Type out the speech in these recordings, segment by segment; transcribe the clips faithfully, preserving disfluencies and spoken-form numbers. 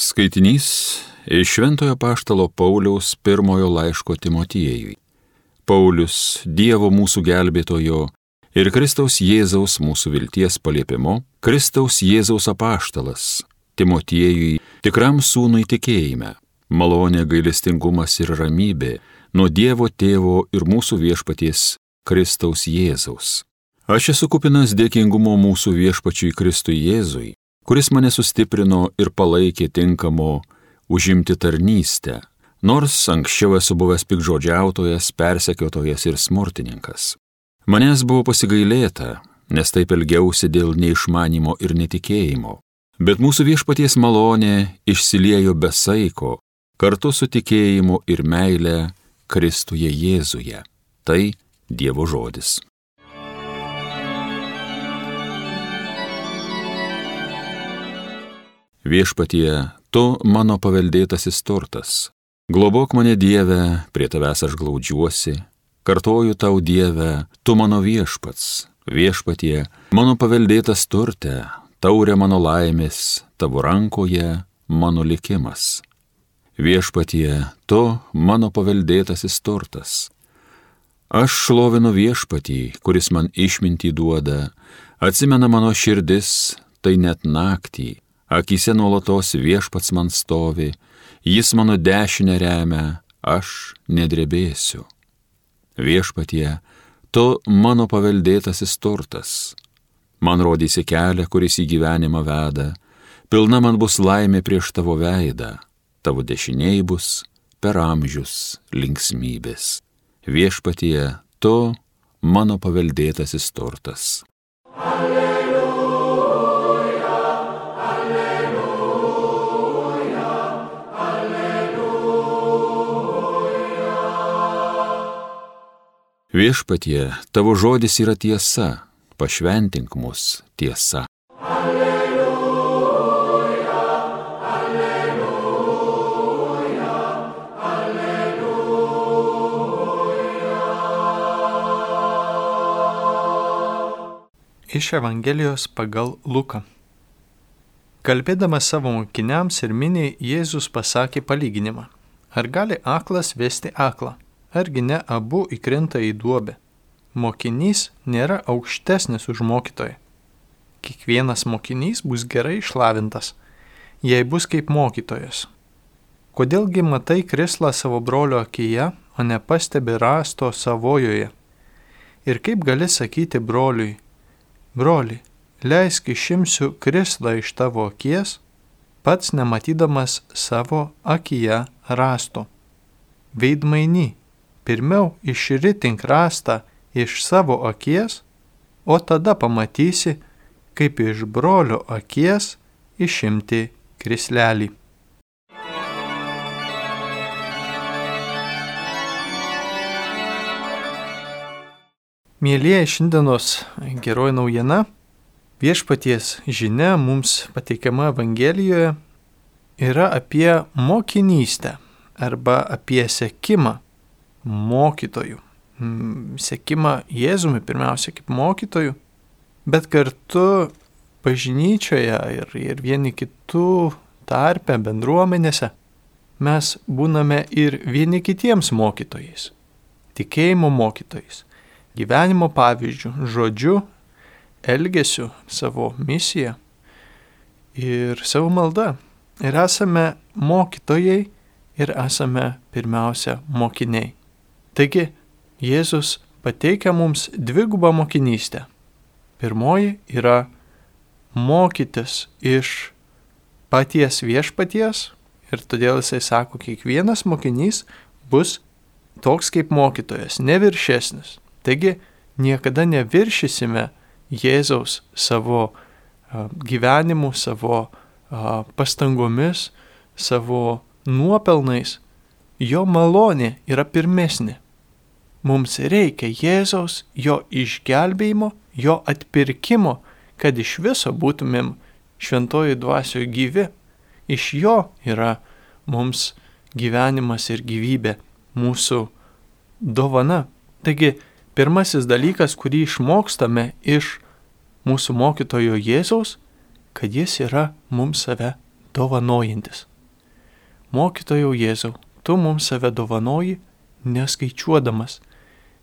Skaitinys iš Šventojo apaštalo Pauliaus pirmojo laiško Timotiejui. Paulius, Dievo mūsų gelbėtojo ir Kristaus Jėzaus mūsų vilties paliepimu, Kristaus Jėzaus apaštalas, Timotiejui, tikram sūnui tikėjime, malonė, gailestingumas ir ramybė nuo Dievo Tėvo ir mūsų viešpaties Kristaus Jėzaus. Aš esu kupinas dėkingumo mūsų viešpačiui Kristui Jėzui, kuris mane sustiprino ir palaikė tinkamo užimti tarnystę, nors anksčiau esu buvęs pikžodžiautojas, persekiotojas ir smurtininkas. Manęs buvo pasigailėta, nes taip elgiausi dėl neišmanimo ir netikėjimo, bet mūsų viešpaties malonė išsiliejo be saiko, kartu su tikėjimu ir meile Kristuje Jėzuje. Tai Dievo žodis. Viešpatie, tu mano paveldėtasis turtas. Globok mane, Dieve, prie tavęs aš glaudžiuosi. Kartoju tau, Dieve, tu mano viešpats. Viešpatie, mano paveldėtas turte, taurė mano laimės, tavo rankoje mano likimas. Viešpatie, tu mano paveldėtasis turtas. Aš šlovinu viešpatį, kuris man išmintį duoda, atsimena mano širdis, tai net naktį. Akyse nuolatos viešpats man stovi, jis mano dešinę remia, aš nedrebėsiu. Viešpatie, tu mano paveldėtasis turtas. Man rodysi kelią, kuris į gyvenimą veda, pilna man bus laimė prieš tavo veidą, tavo dešiniai bus per amžius linksmybės. Viešpatie, tu mano paveldėtasis turtas. Viešpatie, tavo žodis yra tiesa, pašventink mus tiesa. Alleluja, alleluja, alleluja. Iš Evangelijos pagal Luką. Kalbėdamas savo mokiniams ir miniai, Jėzus pasakė palyginimą. Ar gali aklas vesti aklą? Argi ne abu įkrenta į duobę? Mokinys nėra aukštesnis už mokytoją. Kiekvienas mokinys bus gerai išlavintas, jei bus kaip mokytojas. Kodėlgi matai krislą savo brolio akyje, o nepastebi rąsto savojoje? Ir kaip gali sakyti broliui, broli, leisk išimsiu krislą iš tavo akies, pats nematydamas savo akyje rąsto. Veidmainy, pirmiau išritink rąstą iš savo akies, o tada pamatysi, kaip iš brolio akies išimti krislelį. Mielieji, šiandienos geroji naujiena, viešpaties žinia mums pateikiama Evangelijoje, yra apie mokinystę arba apie sekimą mokytojų. Sekimą Jėzumi pirmiausia kaip mokytojų, bet kartu bažnyčioje ir, ir vieni kitų tarpe bendruomenėse mes būname ir vieni kitiems mokytojais, tikėjimo mokytojais, gyvenimo pavyzdžių, žodžiu, elgesiu, savo misiją ir savo malda. Ir esame mokytojai ir esame pirmiausia mokiniai. Taigi, Jėzus pateikia mums dvigubą mokinystę. Pirmoji yra mokytis iš paties viešpaties ir todėl jisai sako, kiekvienas mokinys bus toks kaip mokytojas, neviršesnis. Taigi, niekada neviršysime Jėzaus savo uh, gyvenimu, savo uh, pastangomis, savo nuopelnais. Jo malonė yra pirmesnė. Mums reikia Jėzaus, jo išgelbėjimo, jo atpirkimo, kad iš viso būtumėm šventoji dvasioje gyvi. Iš jo yra mums gyvenimas ir gyvybė, mūsų dovana. Taigi, pirmasis dalykas, kurį išmokstame iš mūsų mokytojo Jėzaus, kad jis yra mums save dovanojantis. mokytojau Jėzau, tu mums save dovanoji, neskaičiuodamas,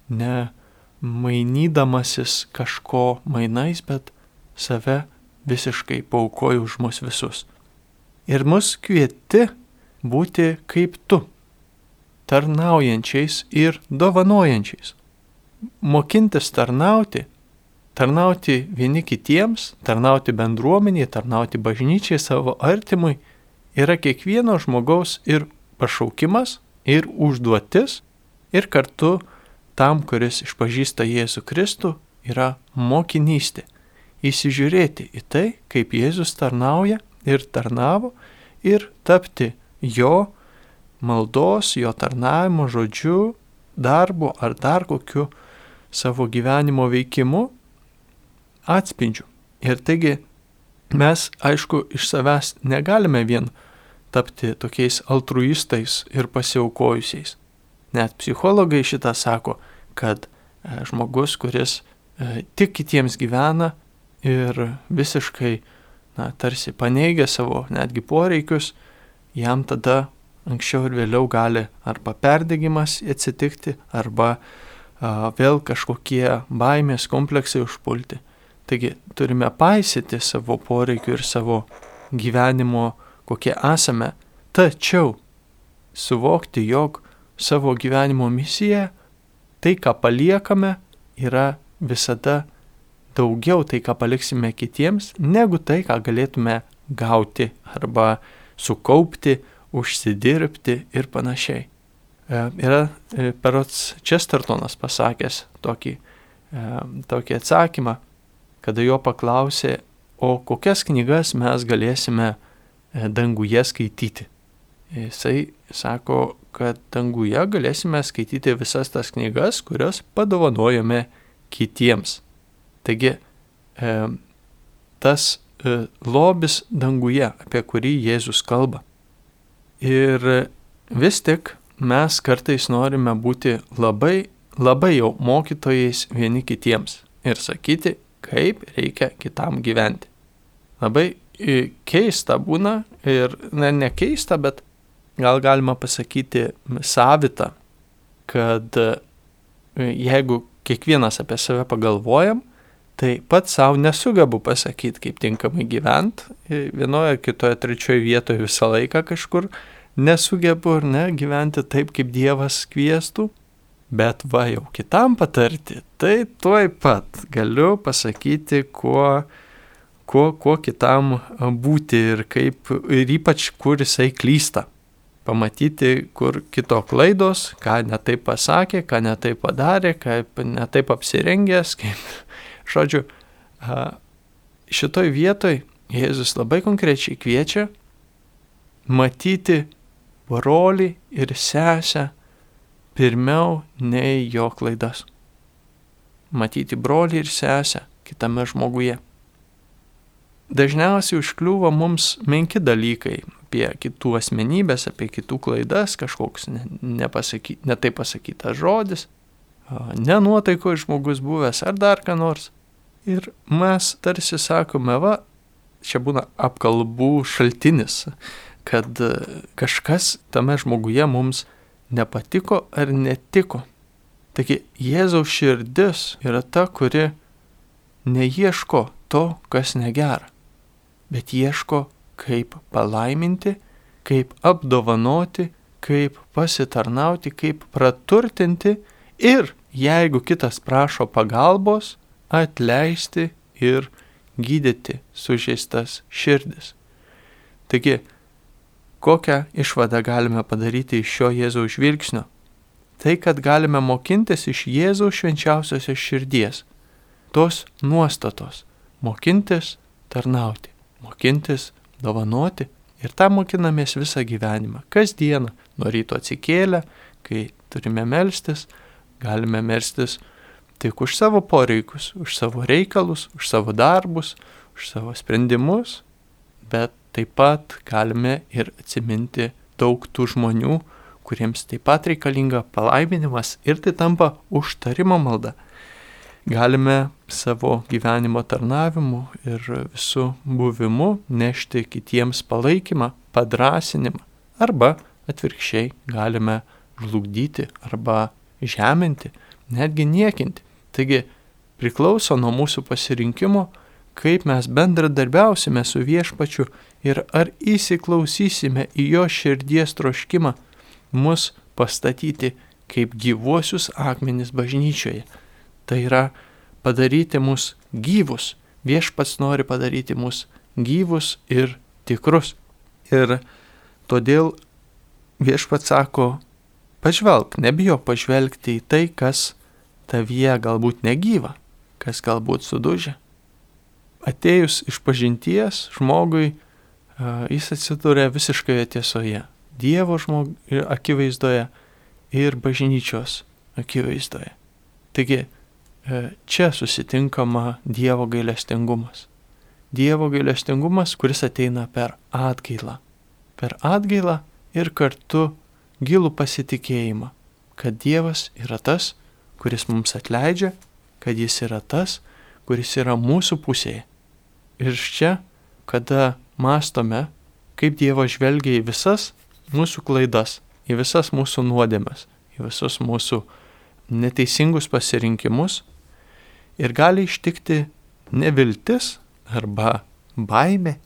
ne mainydamasis kažko mainais, bet save visiškai paaukoji už mus visus. Ir mus kvieti būti kaip tu, tarnaujančiais ir dovanojančiais. Mokintis tarnauti, tarnauti vieni kitiems, tarnauti bendruomeniai, tarnauti bažnyčiai, savo artimui, yra kiekvieno žmogaus ir pašaukimas, ir užduotis, ir kartu tam, kuris išpažįsta Jėzų Kristų, yra mokinystė. Įsižiūrėti į tai, kaip Jėzus tarnauja ir tarnavo, ir tapti jo maldos, jo tarnavimo žodžiu, darbu ar dar kokiu savo gyvenimo veikimu atspindžiu. Ir taigi mes, aišku, iš savęs negalime vien tapti tokiais altruistais ir pasiaukojusiais. Net psichologai šitą sako, kad e, žmogus, kuris e, tik kitiems gyvena ir visiškai, na, tarsi paneigia savo netgi poreikius, jam tada anksčiau ir vėliau gali arba perdegimas atsitikti, arba a, vėl kažkokie baimės kompleksai užpulti. Taigi turime paisyti savo poreikių ir savo gyvenimo, kokie esame, tačiau suvokti, jog savo gyvenimo misija, tai, ką paliekame, yra visada daugiau tai, ką paliksime kitiems, negu tai, ką galėtume gauti arba sukaupti, užsidirbti ir panašiai. E, yra e, Perots Chestertonas pasakęs tokį, e, tokį atsakymą, kada jo paklausė, o kokias knygas mes galėsime e, danguje skaityti. Jisai sako, kad danguje galėsime skaityti visas tas knygas, kurias padovanojame kitiems. Taigi, e, tas e, lobis danguje, apie kurį Jėzus kalba. Ir vis tik mes kartais norime būti labai, labai jau mokytojais vieni kitiems ir sakyti, kaip reikia kitam gyventi. Labai e, keista būna ir ne, ne keista, bet gal galima pasakyti savita, kad jeigu kiekvienas apie save pagalvojam, tai pats savo nesugebu pasakyti, kaip tinkamai gyventi. Vienoje, kitoje, trečioje vietoje visą laiką kažkur nesugebu ir ne gyventi taip, kaip Dievas kviestų. Bet va jau kitam patarti, tai tuoj pat galiu pasakyti, kuo, kuo, kuo kitam būti ir, kaip, ir ypač kur jisai klysta. Pamatyti, kur kito klaidos, ką netaip pasakė, ką netaip padarė, kaip netaip apsirengęs, kaip, žodžiu, šitoj vietoj Jėzus labai konkrečiai kviečia matyti brolį ir sesę pirmiau nei jo klaidas. Matyti brolį ir sesę kitame žmoguje. Dažniausiai užkliūva mums menki dalykai apie kitų asmenybės, apie kitų klaidas, kažkoks nepasaky, netaip pasakytas žodis, nenuotaiko žmogus buvęs ar dar ką nors. Ir mes tarsi sakome, va, čia būna apkalbų šaltinis, kad kažkas tame žmoguje mums nepatiko ar netiko. Taigi Jėzaus širdis yra ta, kuri neieško to, kas negera, bet ieško, kaip palaiminti, kaip apdovanoti, kaip pasitarnauti, kaip praturtinti ir, jeigu kitas prašo pagalbos, atleisti ir gydyti sužeistas širdis. Taigi, kokią išvadą galime padaryti iš šio Jėzaus žvilgsnio? Tai, kad galime mokintis iš Jėzaus švenčiausiosios širdies, tos nuostatos, mokintis tarnauti, mokintis dovanoti ir tą mokinamės visą gyvenimą. Kasdieną, nuo ryto atsikėlę, kai turime melstis, galime melstis tik už savo poreikius, už savo reikalus, už savo darbus, už savo sprendimus, bet taip pat galime ir atsiminti daug tų žmonių, kuriems taip pat reikalinga palaiminimas ir tai tampa užtarimo malda. Galime savo gyvenimo tarnavimu ir visų buvimu nešti kitiems palaikymą, padrasinimą arba atvirkščiai galime žlugdyti arba žeminti, netgi niekinti. Taigi priklauso nuo mūsų pasirinkimo, kaip mes bendradarbiausime su Viešpačiu ir ar įsiklausysime į jo širdies troškimą mus pastatyti kaip gyvuosius akmenis bažnyčioje. Tai yra padaryti mus gyvus. Viešpats nori padaryti mus gyvus ir tikrus. Ir todėl Viešpats sako, pažvelk, nebijok pažvelgti į tai, kas tavyje galbūt negyva, kas galbūt sudužia. Atėjus iš pažinties žmogui, jis atsiduria visiškoje tiesoje. Dievo žmog... akivaizdoje ir bažnyčios akivaizdoje. Taigi, čia susitinkama Dievo gailestingumas. Dievo gailestingumas, kuris ateina per atgailą. Per atgailą ir kartu gilų pasitikėjimą, kad Dievas yra tas, kuris mums atleidžia, kad jis yra tas, kuris yra mūsų pusėje. Ir čia, kada mąstome, kaip Dievas žvelgia į visas mūsų klaidas, į visas mūsų nuodėmes, į visus mūsų neteisingus pasirinkimus, ir gali ištikti neviltis arba baimė,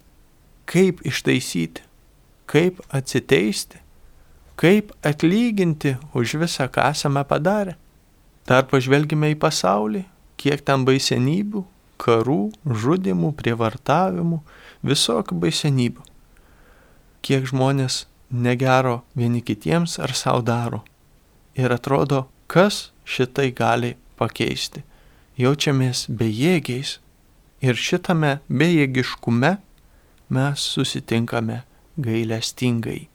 kaip ištaisyti, kaip atsiteisti, kaip atlyginti už visą, ką esame padarę. Dar pažvelgime į pasaulį, kiek ten baisenybių, karų, žudimų, prievartavimų, visokių baisenybių. Kiek žmonės negero vieni kitiems ar savo daro. Ir atrodo, kas šitai gali pakeisti. Jaučiamės bejėgiais ir šitame bejėgiškume mes susitinkame gailestingai.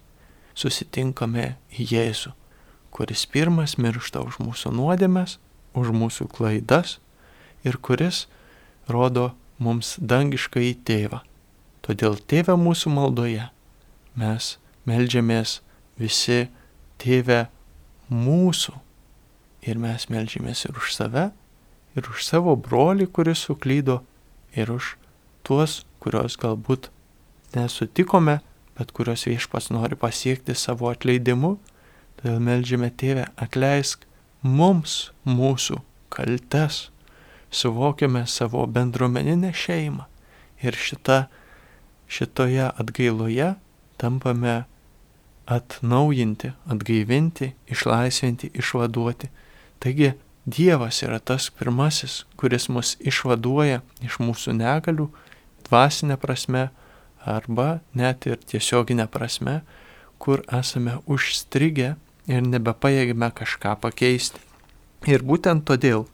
Susitinkame Jėzų, kuris pirmas miršta už mūsų nuodėmes, už mūsų klaidas ir kuris rodo mums dangišką į tėvą. Todėl tėve mūsų maldoje mes meldžiamės visi tėve mūsų ir mes meldžiamės ir už save, ir už savo brolį, kuris suklydo, ir už tuos, kurios galbūt nesutikome, bet kurios Viešpats nori pasiekti savo atleidimu. Todėl meldžiame tėve, atleisk mums mūsų kaltes, suvokiame savo bendruomeninę šeimą ir šita, šitoje atgailoje tampame atnaujinti, atgaivinti, išlaisvinti, išvaduoti. Taigi Dievas yra tas pirmasis, kuris mus išvaduoja iš mūsų negalių, dvasinė prasme arba net ir tiesioginė prasme, kur esame užstrigę ir nebepajėgime kažką pakeisti. Ir būtent todėl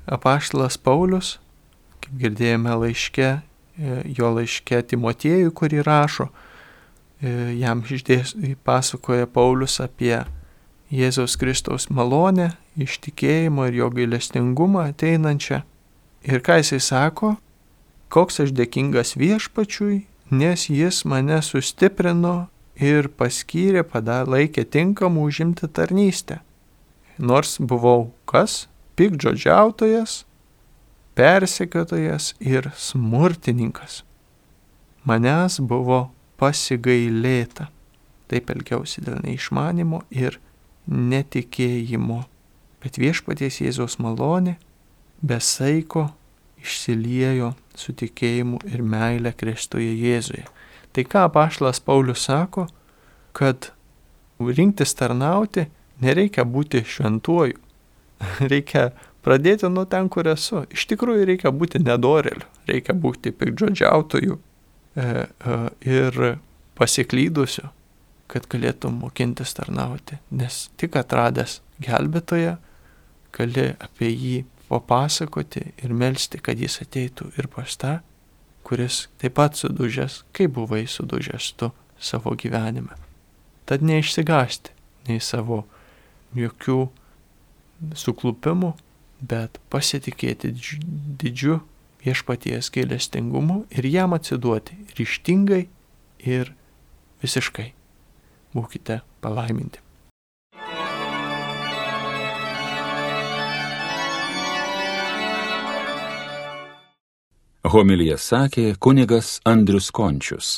apaštalas Paulius, kaip girdėjome laiške, jo laiške Timotiejui, kurį rašo, jam išdės, pasakoja Paulius apie Jėzaus Kristaus malonę, ištikėjimo ir jo gailestingumą ateinančią. Ir ką jisai sako? Koks aš dėkingas Viešpačiui, nes jis mane sustiprino ir paskyrė, laikė tinkamų užimti tarnystę. Nors buvau kas? Piktžodžiautojas, persekiotojas ir smurtininkas. Manęs buvo pasigailėta. Taip elgiausi dėl neišmanimo ir netikėjimo. Bet Viešpaties Jėzaus malonė be saiko išsiliejo su tikėjimu ir meile Kristuje Jėzuje. Tai ką apaštalas Paulius sako, kad rinktis tarnauti nereikia būti šventuoju. Reikia pradėti nuo ten, kur esu. Iš tikrųjų reikia būti nedoreliu, reikia būti piktžodžiautoju e, e, ir pasiklydusiu, kad galėtum mokintis tarnauti. Nes tik atradęs gelbėtoją, gali apie jį papasakoti ir melsti, kad jis ateitų ir pas tą, kuris taip pat sudužęs, kaip buvai sudužęs tu savo gyvenime. Tad neišsigąsti nei savo jokių suklupimų, bet pasitikėti didžiu Viešpaties gailestingumu ir jam atsiduoti ryžtingai ir visiškai. Būkite palaiminti. Homiliją sakė kunigas Andrius Končius.